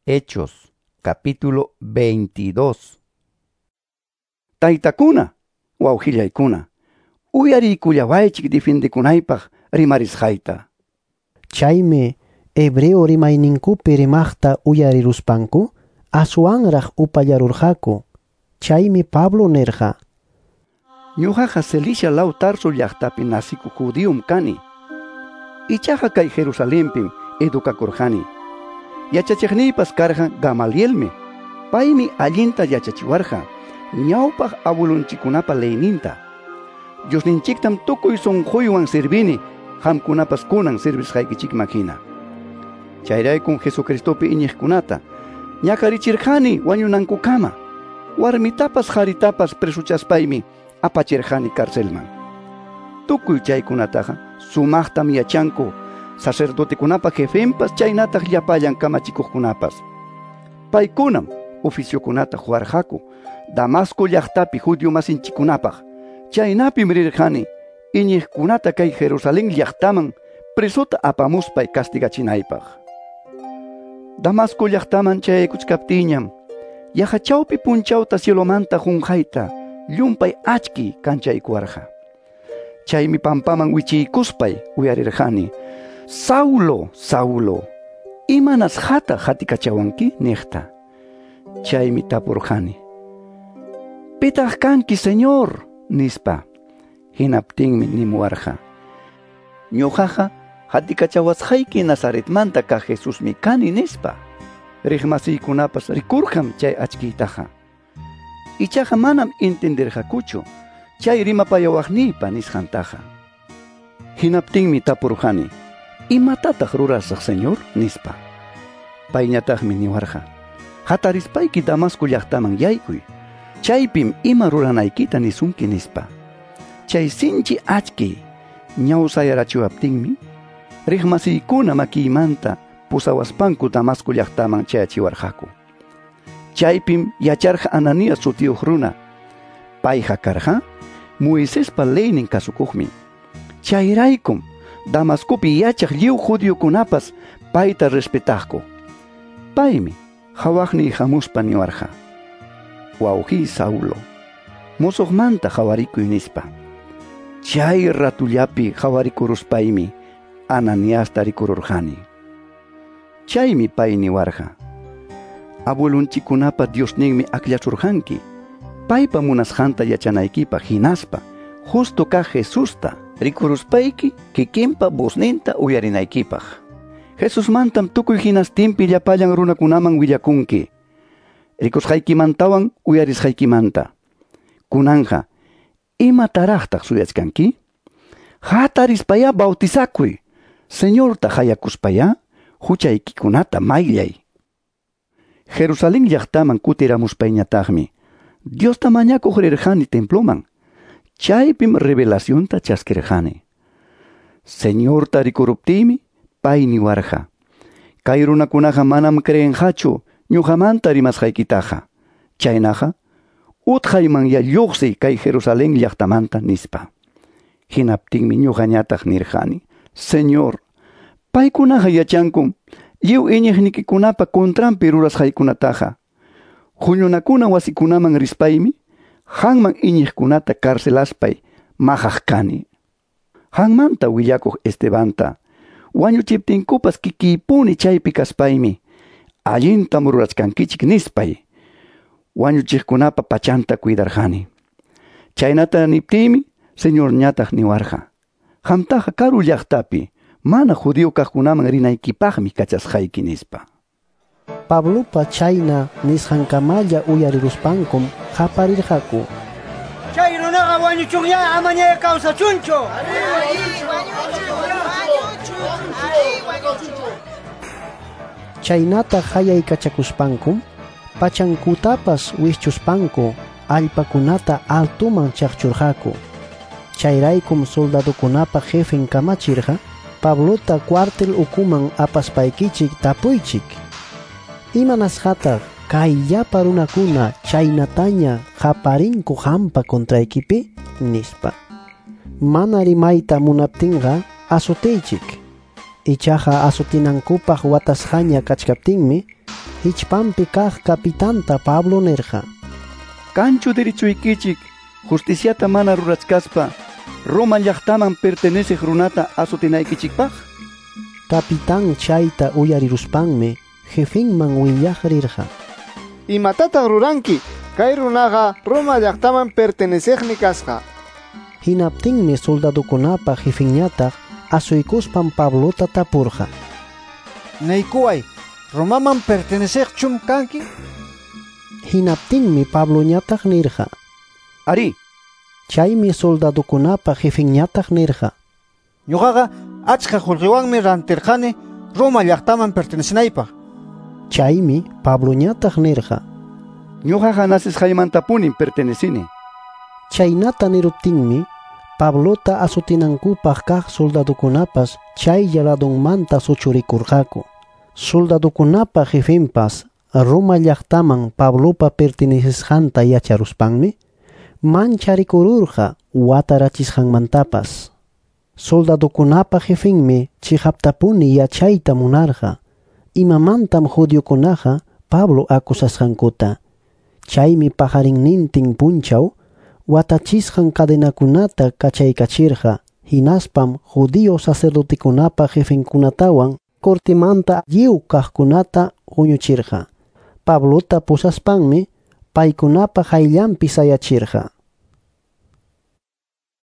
Hechos, capítulo 22. Taytakuna, wawqillaykuna, uyariykullawaychik difindikunaypaq rimarisqayta. Chaymi hebreo rimayninkupi rimaqta uyariruspanku aswanraq upallarurqaku. Chaymi Pablo nirqa: Ñuqaqa Cilicia law Tarso llaqtapi nasikuq judíom kani. Ichaqa kay Jerusalenpim edukakurqani. Yachachiqniypas karqa Gamalielmi. Paymi allinta yachachiwarqa ñawpaq abuelonchikkunapa leyninta. Diosninchiktam tukuy sunquywan servini, qamkunapas kunan servisqaykichikman hina. Chayraykum Jesucristopi iñiqkunata ñakarichirqani wañunankukama. Warmitapas qaritapas presuchaspaymi apachirqani carcelman. Tukuy chaykunataqa sumaqtam yachanku sacerdotekunapa jefenpas chaynataq llapallan kamachikuqkunapas. Paykunam oficiokunata huarqaku Damasco llaqtapi judío masinchikunapaq. Chaynapim rirqani iñiqkunata kay Jerusalén llaqtaman presota apamuspay castigachinaypaq. Damasco llaqtaman chayaykuchkaptiñam yaqa chawpi punchawta cielomanta qunqayta llumpay achki kanchaykuwarqa. Chaymi pampaman wichiykuspay uyarirqani: Saulo, Saulo, imanasqataq hatikachawanki niqta. Chaymi tapurqani: Pitaq kanki, Señor? Nispa. Hinaptinmi nimuwarqa: Ñuqaqa hatikachawasqayki Nazaretmanta kaq Jesusmi kani, nispa. Riqmasiykunapas rikurqam chay achkiytaqa. Ichaqa manam entendirqakuchu chay rimapayawaqniypa nisqantaqa. Hinaptinmi tapurqani: Imatataq rurasaq, Señor? Nispa. Payñataqmi niwarqa: Hatarispayki Damasco llaqtaman yaykuy. Chaypim ima ruranaykita nisunki, nispa. Chay sinchi achki ñawsayarachiwaptinmi riqmasiykuna makiymanta pusawaspanku Damasco llaqtaman chayachiwarqaku. Chaypim yacharqa Ananías sutiyuq runa. Payqa karqa Moisespa leynin kasukuqmi. Chayraykum Damascopi yachaq lliw judiokunapas payta respetaqku. Paymi hawaqniy hamuspa niwarqa: Wawqiy Saulo, musuqmanta hawarikuy, nispa. Chay ratullapi hawarikuruspaymi Ananiasta rikururqani. Chaymi pay niwarqa: Abuelonchikkunapa Diosninmi akllasurqanki, paypa munasqanta yachanaykipaq hinaspa justo kaq Jesusta rikuruspayki kikinpa vozninta uyarinaykipaq. Jesusmantam tukuy hinastinpi llapallan runakunaman willakunki, rikusqaykimantawan uyarisqaykimanta. Kunanja, imataraqtaq suyachkanki? Hatarispayá bautizakuy, Señorta hayakuspayá huchaykikunata mayllay. Jerusalén llaqtaman kutiramuspayñataqmi Diosta mañakuq rirqani temploman. Chaypim revelacionta chaskirqani. Señorta rikuruptiymi pay niwarqa: Kay runakunaqa manam creenqachu ñuqamanta rimasqaykitaqa. Chaynaqa utqaymanya lluqsiy kay Jerusalén llaqtamanta, nispa. Hinaptinmi ñuqañataq nirqani: Señor, paykunaqa yachankum lliw iñiqnikikunapa contranpi rurasqaykunataqa. Huñunakuna wasikunaman rispaymi qanman iñiqkunata carcelaspay maqaq kani. Qanmanta willakuq Estebanta wañuchiptinkupas kikiypuni chaypi kaspaymi allintam rurachkankichik nispay wañuchiqkunapa pachanta cuidarqani. Chaynata niptiymi Señorñataq niwarqa: Qamtaqa karu llaqtapi mana judío kaqkunaman rinaykipaqmi kachasqayki, nispa. Pablopa chayna nisqankamalla uyariruspankum qaparirqaku: Chay runaqa wañuchunña, amaña kawsachunchu. Chaynata hayaykachakuspankum pachankutapas wischuspanku allpakunata altuman chaqchurqaku. Chayraykum soldadokunapa jefen kamachirqa: Pablota cuartel ukuman apaspaykichik tapuychik. Imanasqataq kay llapa runakuna chaynataña qaparinku qampa contraykipi, nispa. Mana rimayta munaptinqa azotiychik. Ichaqa azotinankupaq watasqaña kachkaptinmi hichpanpi kaq kapitanta Pablo nirqa: Kanchu derechuykichik justiciata mana rurachkaspa Roma llaqtaman perteneciq runata azotinaykichikpaq? Capitán chayta uyariruspanmi jefinman willaq rirqa: Imatataq ruranki? Kay runaqa Roma llaqtaman perteneciqmi kasqa. Hinaptinmi soldadokunapa jefinñataq asuykuspan Pablota tapurqa: Niykuway, Romaman perteneciqchum kanki? Hinaptinmi Pabloñataq nirqa: Ari. Chaymi soldadokunapa jefinñataq nirqa: Ñuqaqa achka qullqiwanmi rantirqani Roma llaqtaman pertenecinaypaq. Chaymi Pabloñataq nirqa: Ñuqaqa nacesqaymantapunim pertenecini. Chaynata niruptinmi Pablota azotinankupaq kaq soldadokunapas chaylla ladunmanta suchurikurqaku. Soldadokunapa jefinpas Roma llaqtaman Pablopa pertenecisqanta yacharuspanmi mancharikururqa watarachisqanmantapas. Soldadokunapa jefinmi chiqaptapuni yachayta munarqa imamantam judiokunaqa Pablo acusasqankuta. Chaymi pajarinnintin punchaw watachisqan cadenakunata kachaykachirqa, hinaspam judío sacerdotekunapa jefinkunatawan cortemanta lliw kaqkunata huñuchirqa. Pablota pusaspanmi paykunapa qayllanpi sayachirqa.